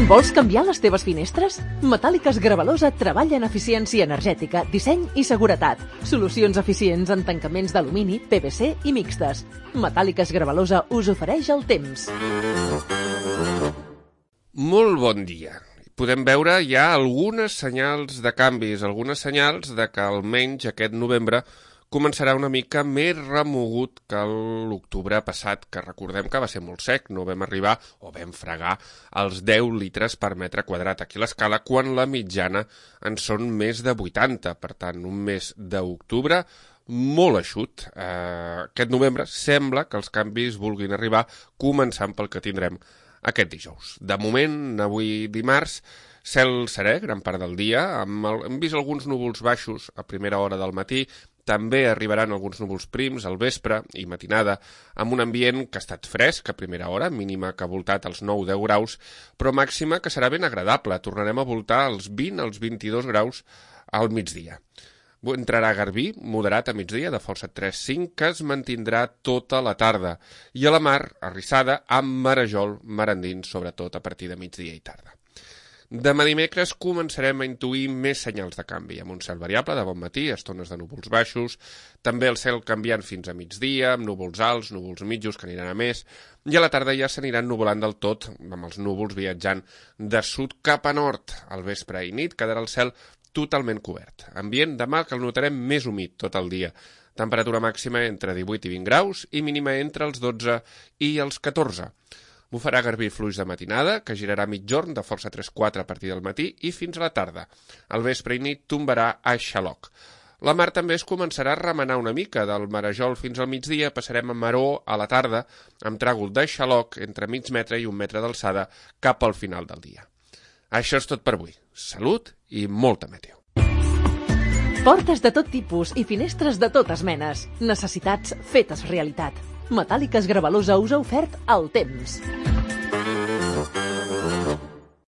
Vols canviar les teves finestres? Metàl·liques Gravalosa treballa en eficiència energètica, disseny i seguretat. Solucions eficients en tancaments d'alumini, PVC i mixtes. Metàl·liques Gravalosa us ofereix el temps. Molt bon dia. Podem veure ja algunes senyals de canvis, algunes senyals de que almenys aquest novembre començarà una mica més remogut que l'octubre passat, que recordem que va ser molt sec, no vam arribar o vam fregar els 10 litres per metre quadrat aquí a l'escala, quan la mitjana en són més de 80. Per tant, un mes d'octubre molt eixut. Aquest novembre sembla que els canvis vulguin arribar, començant pel que tindrem aquest dijous. De moment, avui dimarts, cel serè gran part del dia, hem vist alguns núvols baixos a primera hora del matí, també arribaran alguns núvols prims al vespre i matinada, amb un ambient que ha estat fresc a primera hora, mínima que ha voltat als 9-10 graus, però màxima que serà ben agradable. Tornarem a voltar als 20 als 22 graus al migdia. Entrarà garbí, moderat a migdia, de força 3-5, que es mantindrà tota la tarda, i a la mar, arrissada, amb marejol, mar endins, sobretot a partir de migdia i tarda. Demà dimecres començarem a intuir més senyals de canvi, amb un cel variable de bon matí, estones de núvols baixos, també el cel canviant fins a migdia, amb núvols alts, núvols mitjos que aniran a més, i a la tarda ja s'aniran nuvolant del tot, amb els núvols viatjant de sud cap a nord. Al vespre i nit quedarà el cel totalment cobert. Ambient demà que el notarem més humit tot el dia. Temperatura màxima entre 18 i 20 graus i mínima entre els 12 i els 14. Bufarà garbí fluix de matinada, que girarà mitjorn de força 3-4 a partir del matí i fins a la tarda. Al vespre i nit tombarà a xaloc. La mar també es començarà a remenar una mica. Del marejol fins al migdia passarem a maror a la tarda, amb tràgol de xaloc entre mig metre i 1 metre d'alçada cap al final del dia. Això és tot per avui. Salut i molta meteo. Portes de tot tipus i finestres de totes menes. Necessitats fetes realitat. Metàl·liques Gravalosa us ha ofert el temps.